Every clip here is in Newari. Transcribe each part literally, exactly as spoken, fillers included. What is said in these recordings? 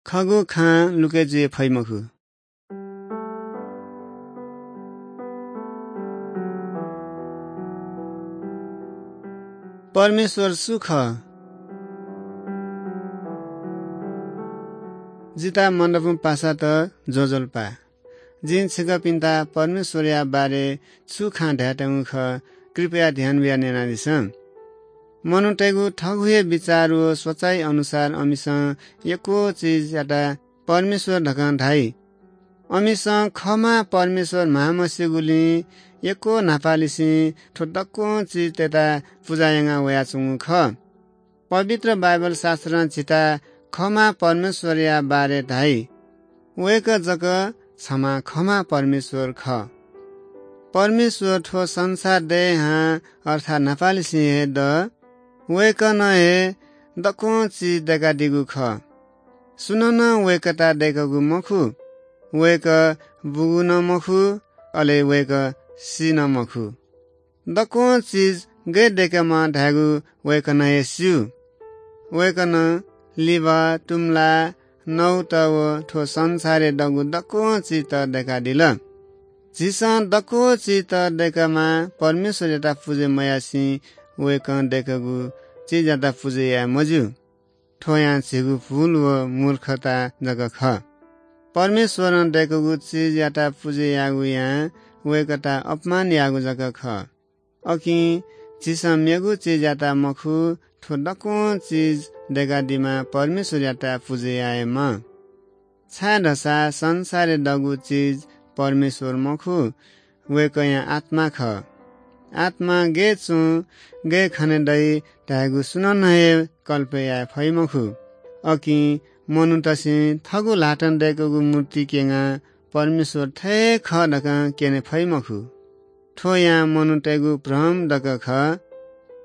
खःगु खां लुके जुइ फइ मखु। परमेश्वर सु खः? जिता मनदपु पासात ज्वजलपा। जिं छिकपिन्त परमेश्वरया बारे छु खँ धायेत्यंगु खः, कृपया ध्यान बियाः न्यनादिसँ। मनूतय्गु थःगु हे बिचार व सोचाइ अनुसार अमिसं यक्व चिजयात परमेश्वर धकं धाइ। अमिसं खःम्ह परमेश्वर म्हाःमस्यूगुलिं यक्व न्हापालिसें थ्व दक्वं चिजतय्त पुजा याना वयाच्वंगु खः। पवित्र बाइबल शास्त्रं झीत खःम्ह परमेश्वरया बारे धाइ। वय्कः जक छम्ह खःम्ह परमेश्वर खः। परमेश्वर थ्व संसार दयेहां अर्थात् न्हापालिसें हे द। वय्कलं हे दक्वं चिज दय्कादीगु खः। सुनानं वय्कःयात दय्कूगु मखु। वय्कः बूगु नं मखु, अले वय्कः सी नं मखु। दक्वं चिज गय् दय्केमाः धायेगु वय्कलं हे स्यू। वय्कलं लिभः, तुमला, नौत व थ्व संसारय् दःगु दक्वं चिजत दय्कादिल। झीसं दक्व चिजत दय्केमाः परमेश्वरयात पुजा मयासें वय्कलं दय्कूगु चिजयात पुजा याये मज्यू। थ्व यां झीगु भूल व मूर्खता जक खः। परमेश्वरं दय्कूगु चिजयात पुजा याःगु यां वय्कःयात अपमान याःगु जक खः। अकिं झीसं मेगु चिजयात मखु, थ्व दक्वं चिज दय्कादीम्ह परमेश्वरयात पुजा यायेमाः। छाय्‌धाःसा संसारय् दःगु चिज परमेश्वर मखु, वय्कःया आत्मा खः। आत्मा गय् च्वं, गय् खने दइ धायेगु सुनानं हे कल्पय् याये फइ मखु। अकिं मनूतय्सं थःगु ल्हातं दय्कूगु मूर्ति क्यनाः परमेश्वर थथे खः धकं क्यने फइ मखु। थ्व यां मनूतय्गु भ्रम जक खः।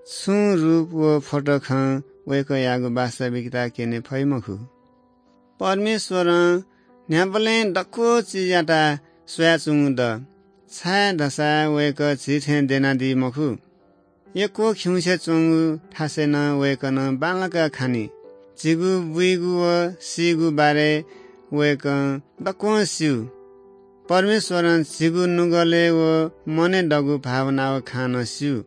छुं रूप व फोटो खं वय्कःयागु वास्तविकता क्यने फइ मखु। परमेश्वरं न्ह्याबलें दक्व चिजयात स्वयाच्वंगु द, छाय्‌धाःसा वय्कः झी थें द्यनादी मखु। यक्व खिउँसे च्वंगु थासय् नं वय्कलं बांलाक खनी। झीगु बुइगु व सीगु बारे वय्कलं दक्वं स्यू। परमेश्वरं झीगु नुगलय् व मनय् दःगु भावना व खँ नं स्यू।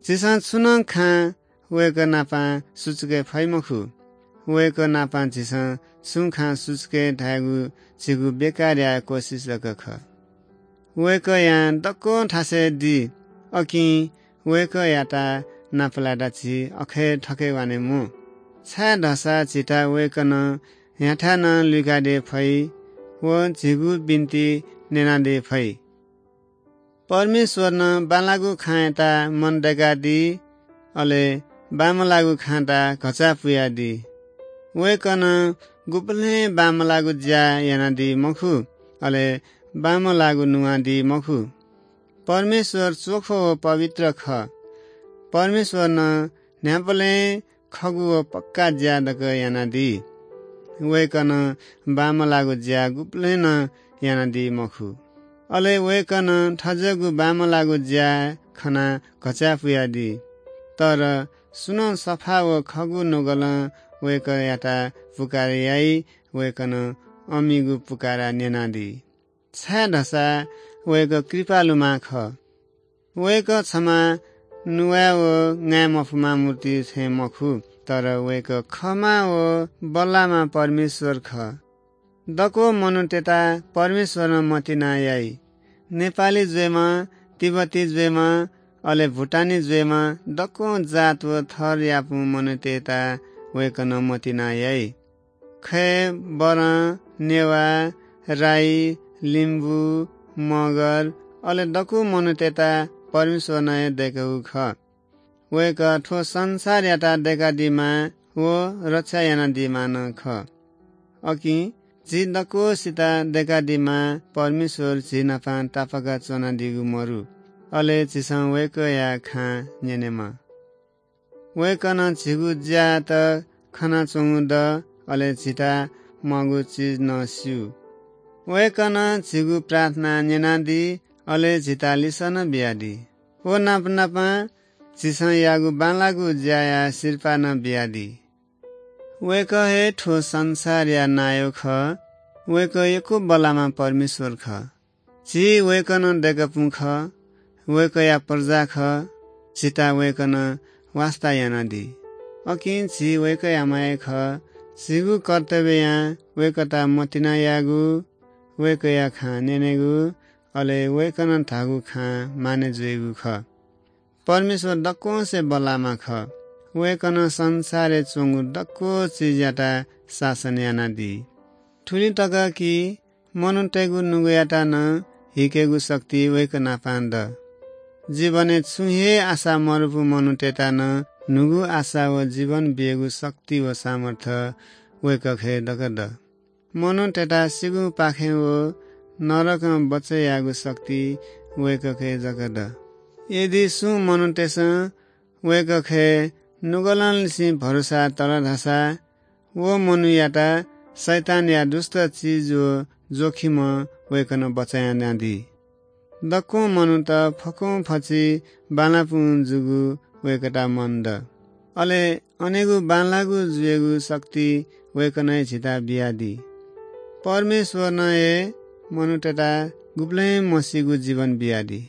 झीसं छु नं खँ वय्कः नाप सुचुके फइ मखु। वय्कः नाप झीसं छुं खँ सुचुके धायेगु झीगु बेकार याये कोसिस जक खः। वय्कःयां दक्वं थासय् दी, अकिं वय्कःयात नापलायेत झी अखे थखे वाने म्वाः। छाय्‌धाःसा झीत वय्कलं न्ह्याथाय् नं लुइकादी फइ व झीगु बिन्ति न्यनादी फइ। परमेश्वरं बांलाःगु खँयात मन दय्कादी, अले बांमलाःगु खँयात घचा पुयादी। वय्कलं गुबलें बांमलाःगु ज्या यानादी मखु, अले बांमलाःगु नुवादी मखु। परमेश्वर चोखो व पवित्र खः। परमेश्वरं न्ह्याबलें खःगु व पक्का ज्या जक यानादी। वय्कलं बांमलाःगु ज्या गुबलें नं यानादी मखु। अले वय्कलं थज्याःगु बांमलाःगु ज्या खनाः घचा पुयादी। तर सुनं सफा व खःगु नुगलं वय्कःयात पुकार याइ, वय्कलं अमिगु पुकारा न्यनादी। छाय्‌धाःसा वय्कः कृपालुम्ह खः। वय्कः छम्ह नुवाये व ङाये मफुम्ह मूर्ति थें मखु, तर वय्कः खःम्ह व बल्लाःम्ह परमेश्वर खः। दक्व मनूतय्त परमेश्वरं मतिना याइ। नेपाली जुइम्ह, तिब्बती जुइम्ह, अले भुटानी जुइम्ह दक्वं जात व थरयापुं मनूतय्त वय्कलं मतिना याइ। खय्, बरं, नेवाः, राई, लिम्बू, मगर, अले दक्व मनूतय्त परमेश्वरं हे दय्कूगु खः। वय्कः थ्व संसारयात दय्कादीम्ह व रक्षा यानादीम्ह नं खः। अकिं झी दक्वसित दय्कादीम्ह परमेश्वर झी नाप तापाक च्वनादीगु मरु। अले झीसं वय्कःया खँ न्यनेमाः। वय्कलं झीगु ज्यायात खनाच्वंगु द, अले झीत म्वाःगु चिज नं स्यू। वय्कलं झीगु प्रार्थना न्यनादी, अले झीत लिसः नं बियादी। व नापनापं झीसं याःगु बांलाःगु ज्याया सिरपाः नं बियादी। वय्‌कः हे थ्व संसारया नायः खः। वय्‌कः यक्व बल्लाःम्ह परमेश्वर खः। झी वय्‌कलं दय्‌कूपिं खः। वय्‌कःया प्रजा खः। झीत वय्‌कलं वास्ता यानादी। अकिं झी वय्‌कःयाम्ह हे खः। झीगु कर्तव्ययां वय्‌कःयात मतिना यायेगु, वय्‌कःया खँ न्यनेगु, अले वय्‌कलं धाःगु खँ मानय् जुइगु खः। परमेश्वर दक्वंसे बल्लाःम्ह खः। वय्‌कलं संसारय् च्वंगु दक्व चिजयात शासन यानादी। थुलि तक कि मनूतय्‌गु नुगःयात नं हीकेगु शक्ति वय्‌कः नाप दु। जीवनय् छुं हे आशा मदुपिं मनूतय्‌त नं न्हूगु आशा व जीवन बीगु शक्ति व सामर्थ्य वय्‌कःखे दक्व दु। मनूतय्‌त सीगुपाखें व नरकं बचय् यायेगु शक्ति वय्‌कःखे जक दु। यदि सुं मनूतय्‌सं वय्‌कःखे नुगलंनिसें भरोसा तल धाःसा, व मनूयात शैतानया दुष्ट चिज व जोखिमं वय्‌कलं बचय् यानादी। दक्वं मनूत फक्वं फचि बांलाःपिं जूगु वय्‌कःयात मन दु। अले अनेगु बांलाःगु जुइगु शक्ति वय्‌कलं हे झीत बियादी। परमेश्वरं हे मनूतय्‌त गुबलें मसीगु जीवन बियादी।